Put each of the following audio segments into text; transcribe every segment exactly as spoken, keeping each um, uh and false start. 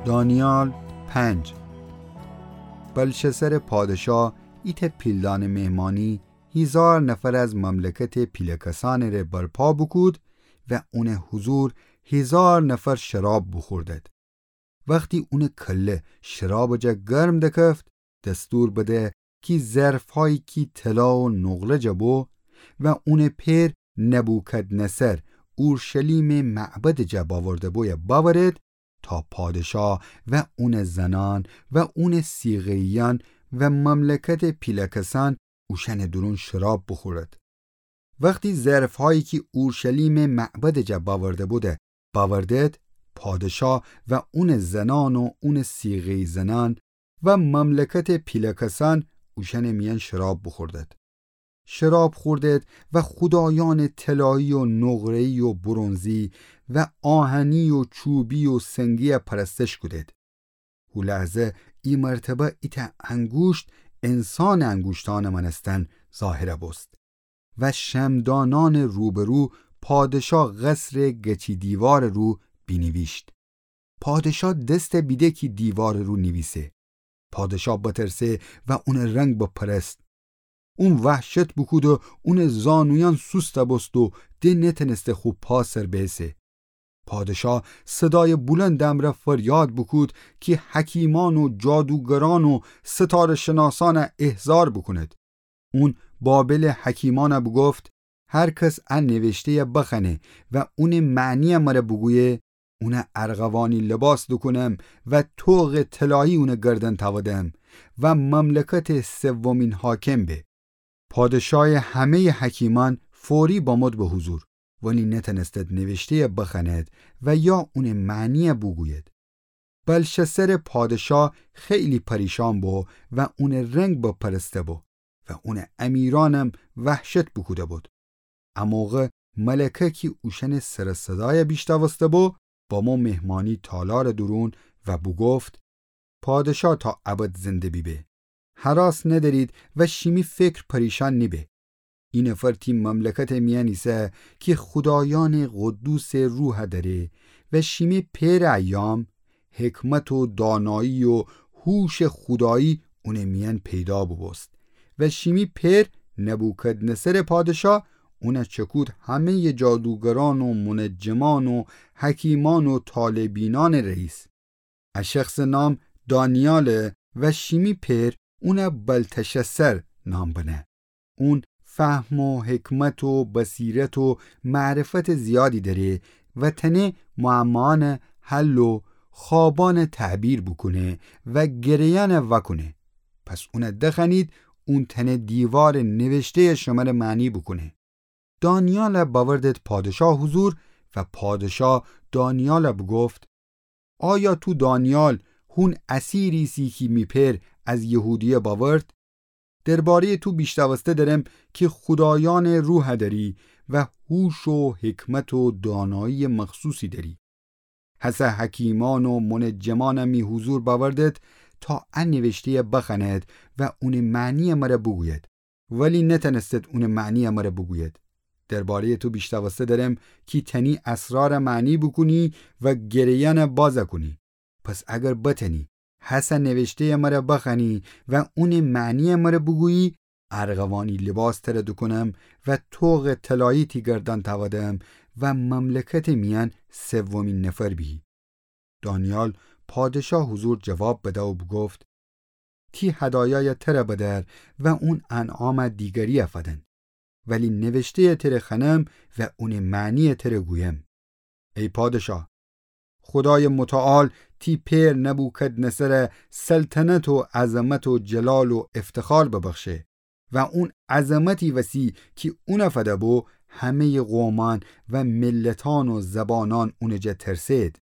دانیال پنج. بلشسر پادشا ایتأ پیلدانه مهمانی هیزار نفر از مملکتٚ پیله‌کسأنٚ ره برپا بوکود و اونٚ حضور هیزار نفر شراب بوخوردد. وختی اونٚ کله شرابٚ جا گرم دکفت، دستور بده کی ظرفهایی کی طلا و نقره جا بو و اونٚ پئر نبوکدنصر اورشلیمٚ معبدٚ جا باورده بویه باورد، تا پادشا و اونٚ زنأن و اونٚ صیغه‌ییأن و مملکتٚ پیله‌کسأن اوشأنٚ دورون شراب بوخورد. وختی ظرفهایی کی اورشلیمٚ معبدٚ جا باورده بوده باوردد، پادشا و اونٚ زنأن و اونٚ صیغه‌یی زنأن و مملکتٚ پیله‌کسأن اوشأنٚ میأن شراب بوخوردد. شراب خوردد و خودایأنٚ طلایی و نقره‌یی و برنزی و آهنی و چوبی و سنگی‌یه پرستش کودد. هو لحظه ای مرتبه ایتأ انگوشت انسانٚ انگوشتأنٚ مأنستن ظاهر بوست و شمعدانأنٚ روبرو پادشا قصرٚ گچی دیوارٚ رو بینیویشت. پادشا دسته بیده کی دیوارٚ رو نیویسه. پادشا بترسه و اونٚ رنگ بپرست. اون وحشت بوکود و اونٚ زانویأن سوسته بوست و د نتنسته خو پا سر بیسه. پادشا صدایٚ بلندٚ امرأ فریاد بوکود کی حکیمأن و جادوگرأن و ستاره‌شناسأنه احضار بوکوند. اون بابلٚ حکیمأنه بوگفت: هر کس ا نوشته‌یه بخوأنه و اونٚ معنی‌یه مره بوگویه، اونه ارغوانی لباس دوکونم و طوقٚ طلایی اونٚ گردن تأودم و مملکتٚ سومین حاکم به. پادشایٚ همه‌یٚ حکیمأن فوری بامد به حضور، ولی نتأنستد نوشته‌یه بخوأند و یا اونٚ معنی‌یه بوگوید. بلشسرٚ پادشا خیلی پریشان بو و اونٚ رنگ بپرسته بو و اونٚ امیرأنم وحشت بوکوده بود. ا موقع ملکه کی اوشأنٚ سر و صدایه بیشتأوسته بو، بامو مهمانی تالارٚ دورون و بوگفت: پادشا تا ابد زنده بیبه. هراس ندأرید و شیمی فکر پریشان نیبه. ای نفر تی مملکتٚ میأن ایسه کی خودایأنٚ قدوسٚ روحه دأره و شیمی پئرٚ ایام حکمت و دانایی و هوشٚ خودایی اونٚ میأن پیدا بوبوست و شیمی پئر نبوکدنصرٚ پادشا اونه چکود همه‌یٚ جادوگرأن و منجمأن و حکیمأن و طالع‌بینأنٚ رئیس. ا شخصٚ نام دانیاله و شیمی پئر اونه بلتشسر نام بنه. اون فهم و حکمت و بصیرت و معرفتٚ زیادی دأره و تأنه معماأنٚ حل و خوابأنٚ تعبیر بوکونه و گره‌یأنه وأکونه. پس اونه دخوأنید، اون تأنه دیوارٚ نوشته‌یٚ شمره معنی بوکونه. دانیاله بأوردد پادشا حضور و پادشا دانیاله بوگفت: آیا تو دانیال، هون اسیری ایسی کی می پئر از یهودیه بأورد؟ درباره‌یٚ تو بیشتأوسته درم کی خودایأنٚ روحه دأری و هوش و حکمت و دانایی مخصوصی دأری. هسه حکیمأن و منجمأنه می حضور بأوردد تا ا نوشته‌یه بخوأند و اونٚ معنی‌یه مره بوگوید. ولی نتأنستد اونٚ معنی‌یه مره بوگوید. درباره‌یٚ تو بیشتأوسته درم کی تأنی اسراره معنی بوکونی و گره‌یأنه بازه کونی. پس اگر بتأنی هسه نوشته‌یه مره بخوأنی و اونٚ معنی‌یه مره بوگویی، ارغوانی لباس تره دوکونم و طوقٚ طلایی تی گردن تأودم و مملکتٚ میأن سومین نفر بیهی. دانیال پادشا حضور جواب بده و بوگفت: تی هدایایه تره بدأر و اون انعامه دیگریه فدن. ولی نوشته‌یه تره خوأنم و اونٚ معنی‌یه تره گویم. ای پادشا، خودایٚ متعال تی پئر نبوکدنصره سلطنت و عظمت و جلال و افتخار ببخشه و اون عظمتی وسی کی اونه فده بو، همه‌یٚ قومأن و ملتأن و زبانأن اونٚ جا ترسه‌د.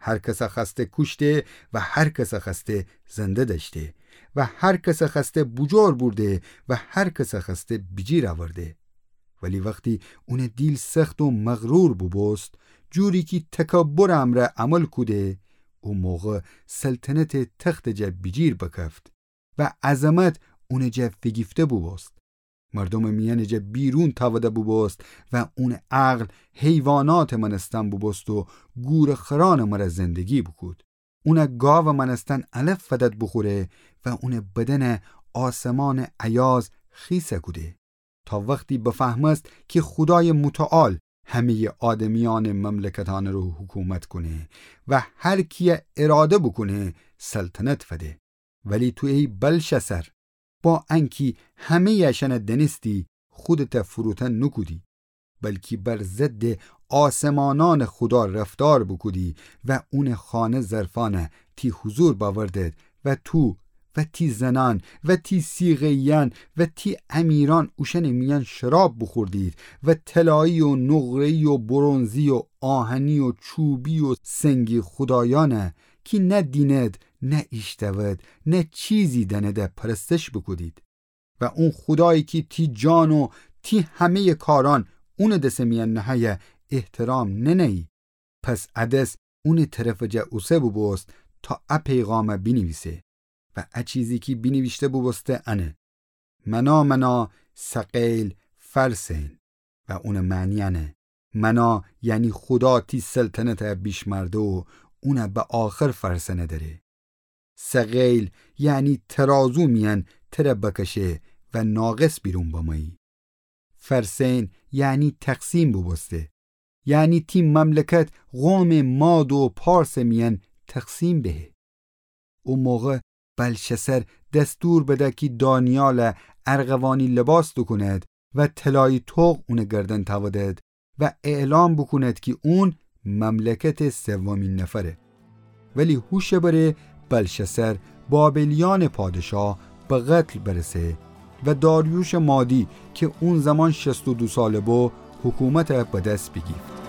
هر کسه خوأسته کوشته و هر کسه خوأسته زنده دأشته و هر کسه خوأسته بوجور بورده و هر کسه خوأسته بیجیر أورده. ولی وختی اونٚ دیل سخت و مغرور بوبوست، جوری کی تکبرٚ امرأ عمل کوده، او موقع سلطنتٚ تختٚ جا بیجیر بکفت و عظمت اونٚ جا فیگیفته بوبوست. مردومٚ میأنٚ جا بیرون تأوده بوبوست و اونٚ عقل حیواناتٚ مأنستن بوبوست و گورٚ خرأنٚ مره زندگی بوکود. اونَ گاوٚ مأنستن الف فدد بوخوره و اونٚ بدنَ آسمانٚ ایاز خیسَ کوده، تا وختی بفهمست کی خودایٚ متعال همه‌یٚ آدمیأنٚ مملکتأنٚ رو حکومت کونه و هر کیَ اراده بوکونه سلطنت فده. ولی تو ای بلشسر، با انکی همه‌یٚ اشأنَ دأنستی، خودتَ فروتن نوکودی، بلکی بر ضدٚ آسمانأنٚ خودا رفتار بوکودی و اونٚ خانه ظرفأنَ تی حضور بأوردد و تو و تی زنأن و تی صیغه‌ییأن و تی امیرأن اوشأنٚ میأن شراب بوخوردید و طلایی و نقره‌یی و برنزی و آهنی و چوبی و سنگی خودایأنَ کی نه دینید، نه ایشتأوید، نه چیزی دأنیدَ پرستش بوکودید. و اون خودایی کی تی جان و تی همه‌یٚ کارأن اونٚ دسٚ میأن نهه‌یه احترام ننه‌یی. پس ا دس اونٚ طرفٚ جا اوسه بوبوست تا ا پیغامَ بینیویسه. و ا چیزی کی بینیویشته بوبوسته انه: منا منا ثقیل فرسین. و اونٚ معنی انه: منا یعنی خودا تی سلطنتَ بیشمرده و اونَ به آخر فرسنه دأره. ثقیل یعنی ترازو میأن تره بکشه و ناقص بیرون بمایی. فرسین یعنی تقسیم بوبوسته، یعنی تی مملکت قومٚ ماد و پارسٚ میأن تقسیم بهه. او موقع بلشسر دستور بده کی دانیالَ ارغوانی لباس دوکوند و طلایی طوق اونٚ گردن تأودد و اعلام بوکوند کی اون مملکتٚ سومین نفره. ولی هوشٚ بره بلشسر بابلیأنٚ پادشاه به قتل برسه و داریوشٚ مادی کی اون زمان شصت و دو ساله بو، حکومتَ به دس بیگیفت.